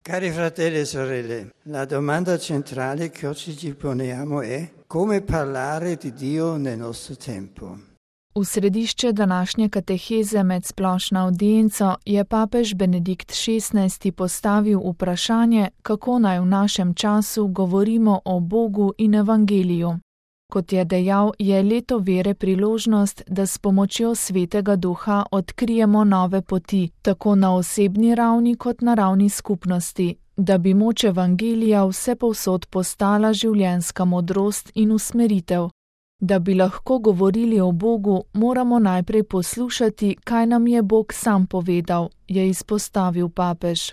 Cari fratelli e sorelle, la domanda centrale che oggi ci poniamo è come parlare di Dio nel nostro tempo. V središče današnje kateheze med splošno audienco je papež Benedikt XVI postavil vprašanje, kako naj v našem času govorimo o Bogu in evangeliju. Kot je dejal, je leto vere priložnost, da s pomočjo Svetega Duha odkrijemo nove poti, tako na osebni ravni kot na ravni skupnosti, da bi moč evangelija vsepovsod postala življenjska modrost in usmeritev. Da bi lahko govorili o Bogu, moramo najprej poslušati, kaj nam je Bog sam povedal, je izpostavil papež.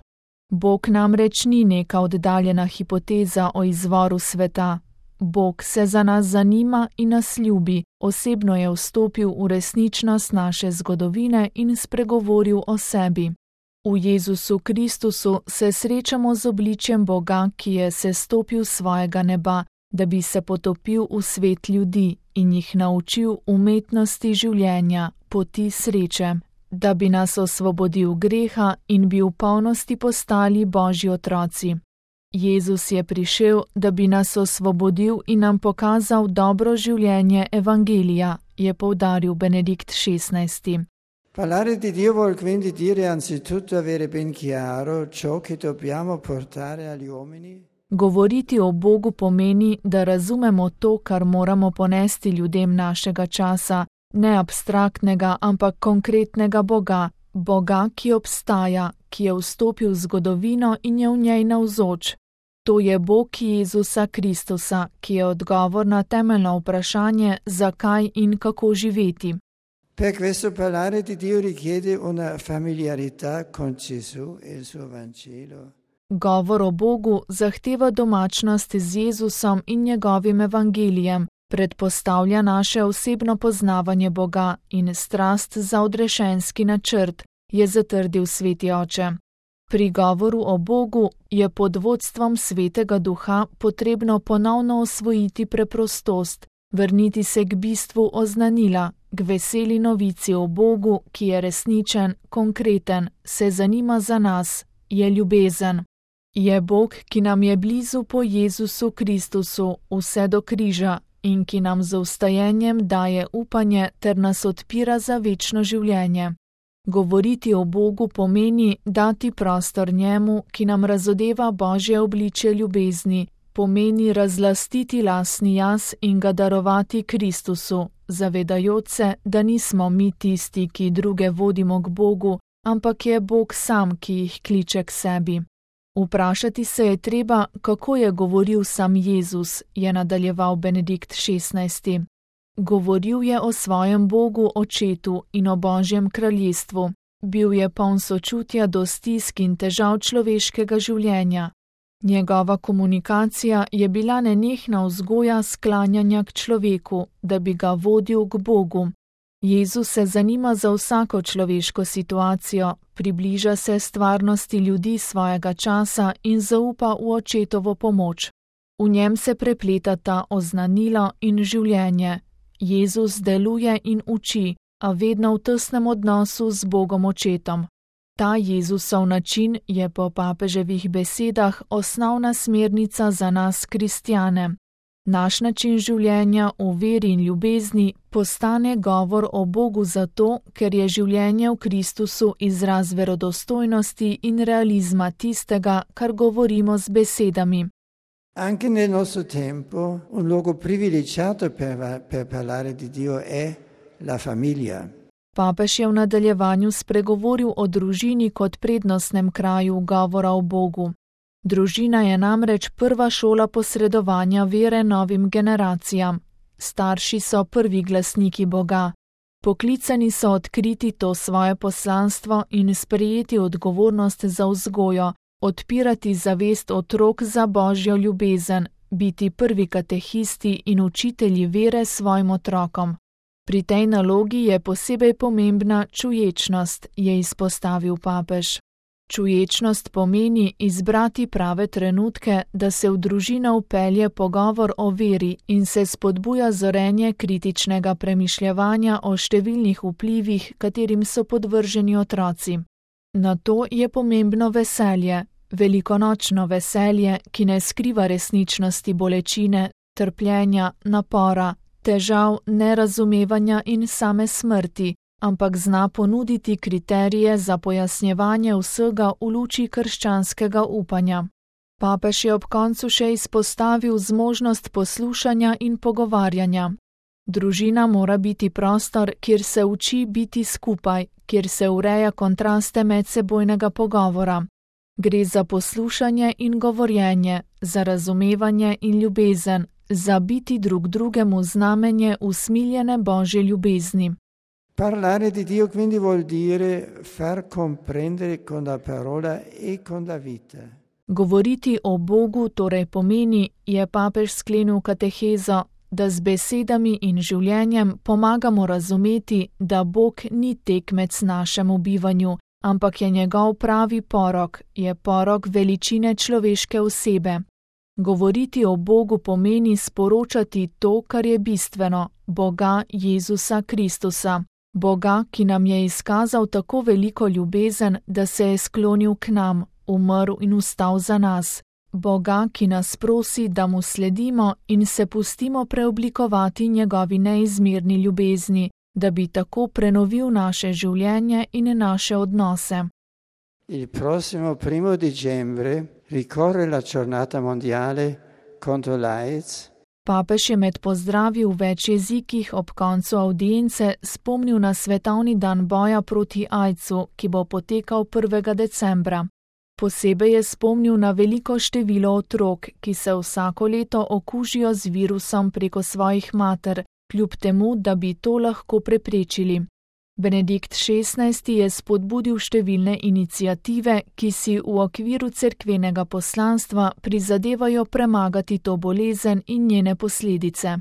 Bog namreč ni neka oddaljena hipoteza o izvoru sveta. Bog se za nas zanima in nas ljubi, osebno je vstopil v resničnost naše zgodovine in spregovoril o sebi. V Jezusu Kristusu se srečamo z obličjem Boga, ki je sestopil svojega neba, da bi se potopil v svet ljudi in jih naučil umetnosti življenja, poti sreče, da bi nas osvobodil greha in bi v polnosti postali Božji otroci. Jezus je prišel, da bi nas osvobodil in nam pokazal dobro življenje evangelija, je poudaril Benedikt XVI. Parlare di Dio vuol quindi dire anzitutto avere ben chiaro ciò che dobbiamo portare agli uomini. Govoriti o Bogu pomeni, da razumemo to, kar moramo ponesti ljudem našega časa, ne abstraktnega, ampak konkretnega Boga, Boga, ki obstaja, ki je vstopil v zgodovino in je v njej navzoč. To je Bog Jezusa Kristusa, ki je odgovor na temeljno vprašanje, zakaj in kako živeti. Per questo parlare di Dio richiede una familiarità con Gesù e il suo Vangelo. Govor o Bogu zahteva domačnost z Jezusom in njegovim evangelijem, predpostavlja naše osebno poznavanje Boga in strast za odrešenski načrt, je zatrdil Sveti Oče. Pri govoru o Bogu je pod vodstvom Svetega Duha potrebno ponovno osvojiti preprostost, vrniti se k bistvu oznanila, k veseli novici o Bogu, ki je resničen, konkreten, se zanima za nas, je ljubezen. Je Bog, ki nam je blizu po Jezusu Kristusu vse do križa in ki nam z vstajenjem daje upanje ter nas odpira za večno življenje. Govoriti o Bogu pomeni dati prostor njemu, ki nam razodeva Božje obličje ljubezni, pomeni razlastiti lastni jaz in ga darovati Kristusu, zavedajoč se, da nismo mi tisti, ki druge vodimo k Bogu, ampak je Bog sam, ki jih kliče k sebi. Vprašati se je treba, kako je govoril sam Jezus, je nadaljeval Benedikt XVI. Govoril je o svojem Bogu Očetu in o Božjem kraljestvu. Bil je poln sočutja do stisk in težav človeškega življenja. Njegova komunikacija je bila nenehna vzgoja sklanjanja k človeku, da bi ga vodil k Bogu. Jezus se zanima za vsako človeško situacijo, približa se stvarnosti ljudi svojega časa in zaupa v Očetovo pomoč. V njem se prepletata oznanilo in življenje. Jezus deluje in uči, a vedno v tesnem odnosu z Bogom Očetom. Ta Jezusov način je po papeževih besedah osnovna smernica za nas kristjane. Naš način življenja v veri in ljubezni postane govor o Bogu zato, ker je življenje v Kristusu izraz verodostojnosti in realizma tistega, kar govorimo z besedami. Anche nel nostro tempo un luogo privilegiato per parlare di Dio è la famiglia. Papež je v nadaljevanju spregovoril o družini kot prednostnem kraju govora o Bogu. Družina je namreč prva šola posredovanja vere novim generacijam. Starši so prvi glasniki Boga. Poklicani so odkriti to svoje poslanstvo in sprejeti odgovornost za vzgojo, odpirati zavest otrok za Božjo ljubezen, biti prvi katehisti in učitelji vere svojim otrokom. Pri tej nalogi je posebej pomembna čuječnost, je izpostavil papež. Čuječnost pomeni izbrati prave trenutke, da se v družino vpelje pogovor o veri in se spodbuja zorenje kritičnega premišljevanja o številnih vplivih, katerim so podvrženi otroci. Na to je pomembno veselje, velikonočno veselje, ki ne skriva resničnosti bolečine, trpljenja, napora, težav, nerazumevanja in same smrti, ampak zna ponuditi kriterije za pojasnjevanje vsega v luči krščanskega upanja. Papež je ob koncu še izpostavil zmožnost poslušanja in pogovarjanja. Družina mora biti prostor, kjer se uči biti skupaj, kjer se ureja kontraste medsebojnega pogovora. Gre za poslušanje in govorjenje, za razumevanje in ljubezen, za biti drug drugemu znamenje usmiljene Božje ljubezni. Parlare di Dio quindi vuol dire far comprendere con la parola e con la vita. Govoriti o Bogu torej pomeni, je papež sklenil katehezo, da z besedami in življenjem pomagamo razumeti, da Bog ni tekmec našemu bivanju, ampak je njegov pravi porok, je porok veličine človeške osebe. Govoriti o Bogu pomeni sporočati to, kar je bistveno, Boga Jezusa Kristusa. Boga, ki nam je izkazal tako veliko ljubezen, da se je sklonil k nam, umrl in vstal za nas. Boga, ki nas prosi, da mu sledimo in se pustimo preoblikovati njegovi neizmerni ljubezni, da bi tako prenovil naše življenje in naše odnose. Il prossimo 1 dicembre ricorre la giornata mondiale contro l'AIDS. Papež je med pozdravi v več jezikih ob koncu avdience spomnil na svetovni dan boja proti AIDS-u, ki bo potekal 1. decembra. Posebej je spomnil na veliko število otrok, ki se vsako leto okužijo z virusom preko svojih mater, kljub temu, da bi to lahko preprečili. Benedikt XVI je spodbudil številne iniciative, ki si v okviru cerkvenega poslanstva prizadevajo premagati to bolezen in njene posledice.